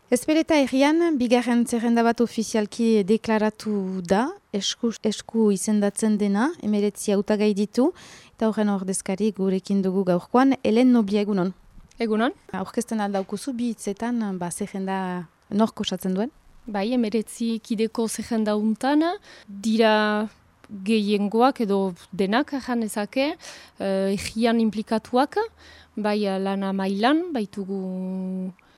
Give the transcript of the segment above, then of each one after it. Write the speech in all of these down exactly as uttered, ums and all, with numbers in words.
Ezpeleta herrian, bigarren zerrenda bat ofizialki deklaratu da, esku, esku izendatzen dena, emeretzi hautagai ditu, eta horren ordezkari gurekin dugu gaurkoan, Helen Noblia egunon. Egunon. Aurkezten aldaukuzu, bi hitzetan, ba, zerrenda nork osatzen duen? Bai, emeretzi kideko zerrenda untan, dira gehiengoak edo denak jan ezake, herrian uh, implikatuak, bai lana mailan, baitugu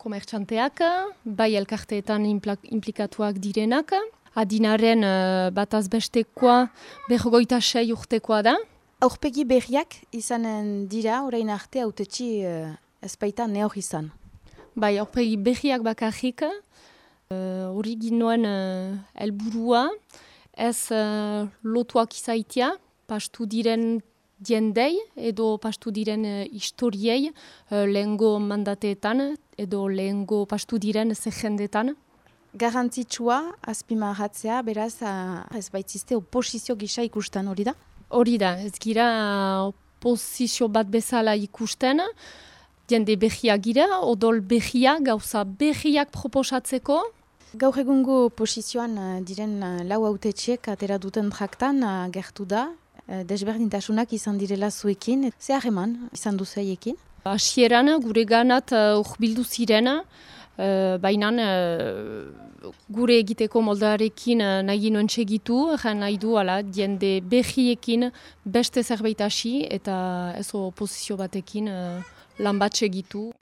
komertxanteak, bai elkarteetan implikatuak direnak. Adinaren uh, bataz bestekoa berrogeita sei urtekoa da. Aurpegi berriak izanen dira, orain arte hautetsi uh, ezpaita neor izan. Bai, aurpegi berriak bakarrik, hori uh, ginoen uh, helburua, ez uh, lotuak izaitia, pastu diren diendei edo pastu diren uh, historiei uh, lehengo mandateetan edo lehengo pastu diren zerrendetan. Garrantzitsua, azpimarratzea, beraz, uh, ez baitzizte oposizio gisa ikusten hori da? Hori da, ez gira oposizio bat bezala ikusten, diende berriak gira, odol berriak, gauza berriak proposatzeko. Gaur egungo oposizioan uh, diren uh, lau hautetxiek atera duten traktan uh, gertu da, uh, desberdintasunak izan direla zuekin, ze harreman izan duzaiekin? Hasieran gure ganat urbildu uh, ziren, uh, baina uh, gure egiteko moldarekin uh, nahi ginoen segitu, nahi du ala, diende berriekin beste zerbait hasi eta ez oposizio batekin uh, lan bat segitu.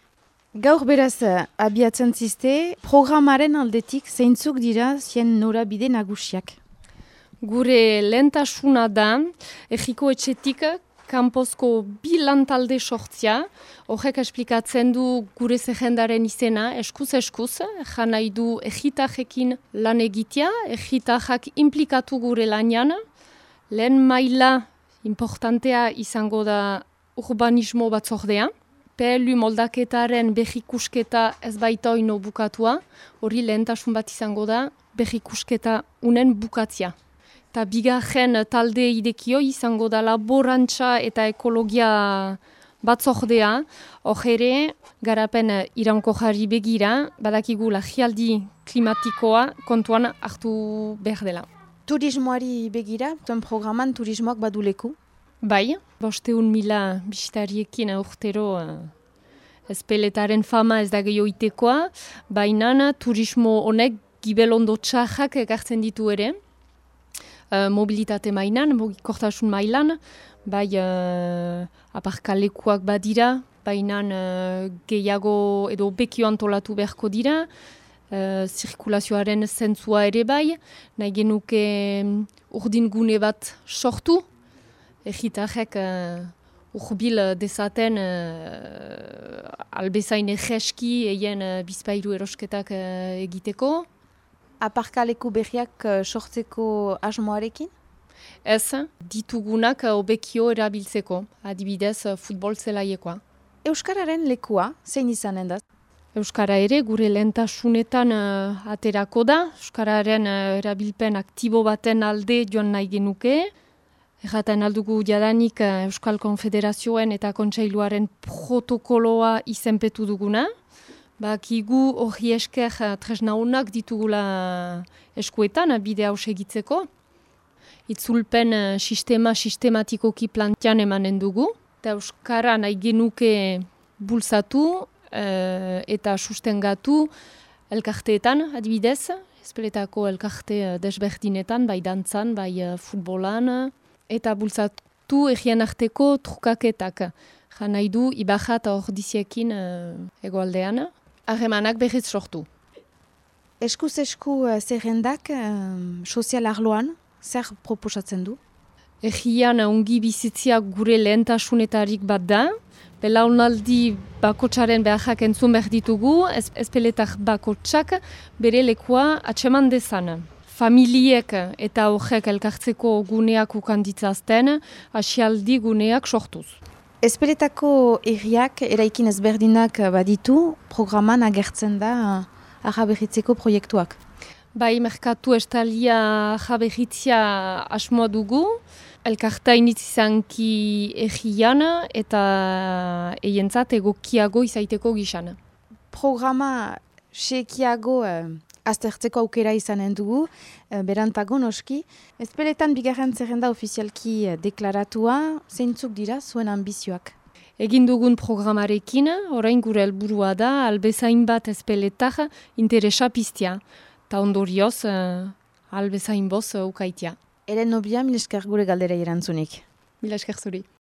Gaur beraz, abiatzen ziste, programaren aldetik zeintzuk dira zien norabide nagusiak? Gure lehentasuna da, erriko etxetik kanpozko bi lantalde sortzia, horrek esplikatzen du gure zerrendaren izena, eskuz-eskuz, jan nahi du erritajekin lan egitea, erritajak implikatu gure lanean, lehen maila importantea izango da urbanismo batzordea, P L U moldaketaren berrikusketa ez baita oino bukatua, hori lehentasun bat izango da berrikusketa unen bukatzia. Ta bigarren talde idekio izango da laborantza eta ekologia batzordea, hor ere garapen iraunkorrari begira, badakigu larrialdi klimatikoa kontuan hartu behar dela. Turismoari begira, tuen programan turismoak baduleku? Bai, bosteun mila bisitariekin urtero uh, ezpeletaren fama ez da gehioitekoa, baina turismo honek gibelondo txarrak ekartzen ditu ere, uh, mobilitate mailan, mugikortasun mailan, bai uh, aparkalekuak badira, baina uh, gehiago edo bekio antolatu beharko dira, uh, zirkulazioaren zentzua ere bai, nahi genuke um, urdin gune bat sortu, Egitarrek uh, urbil dezaten uh, albezain egeski eien uh, bizpairu erosketak uh, egiteko. Aparkaleku berriak uh, sortzeko asmoarekin? Ez, ditugunak uh, obekio erabiltzeko, adibidez uh, futbol zelaiekoa. Euskararen lekua, zein izanen da? Euskara ere gure lehentasunetan uh, aterako da. Euskararen uh, erabilpen aktibo baten alde joan nahi genuke. Erraten aldugu jadanik Euskal Konfederazioen eta Kontseiluaren protokoloa izenpetu duguna. Bakigu hori esker tresna honak ditugula eskuetan bide hau segitzeko. Itzulpen sistema sistematikoki plantean emanen dugu. Eta Euskara nahi genuke bultzatu e, eta sustengatu elkarteetan adibidez. Ezpeletako elkarte desberdinetan, bai dantzan, bai futbolan. Eta bultzatu egien arteko trukaketak. Jan nahi du Ibarra eta Ordiziekin uh, egoaldean. Harremanak berriz sortu. Eskuz-esku uh, zerrendak uh, sozial arloan, zer proposatzen du? Egian ongi bizitziak gure lehentasunetarik bat da. Belaunaldi bakotsaren beharrak entzun behar ditugu, ez, ezpeletak bakotsak bere lekua atseman dezan. Familiek eta horrek elkartzeko guneak ukanditzazten, asialdi guneak sortuz. Ezpeletako herriak eraikin ezberdinak baditu, programan agertzen da ahaberritzeko proiektuak. Bai, merkatu estalia ahaberritzia asmoa dugu, elkarta initzizanki herrian eta eientzat egokiago izaiteko gizan. Programa sekiago uh, aztertzeko aukera izanen dugu, uh, berantago noski. Ezpeletan bigarren zerrenda ofizialki uh, deklaratua, zeintzuk dira zuen ambizioak? Egin dugun programarekin, orain gure helburua da, albezain bat ezpeletak interesa piztia. Ta ondorioz, uh, albezain boz uh, ukaitia. Helen Nobia, mil esker gure galdera erantzunik. Mila esker zuri.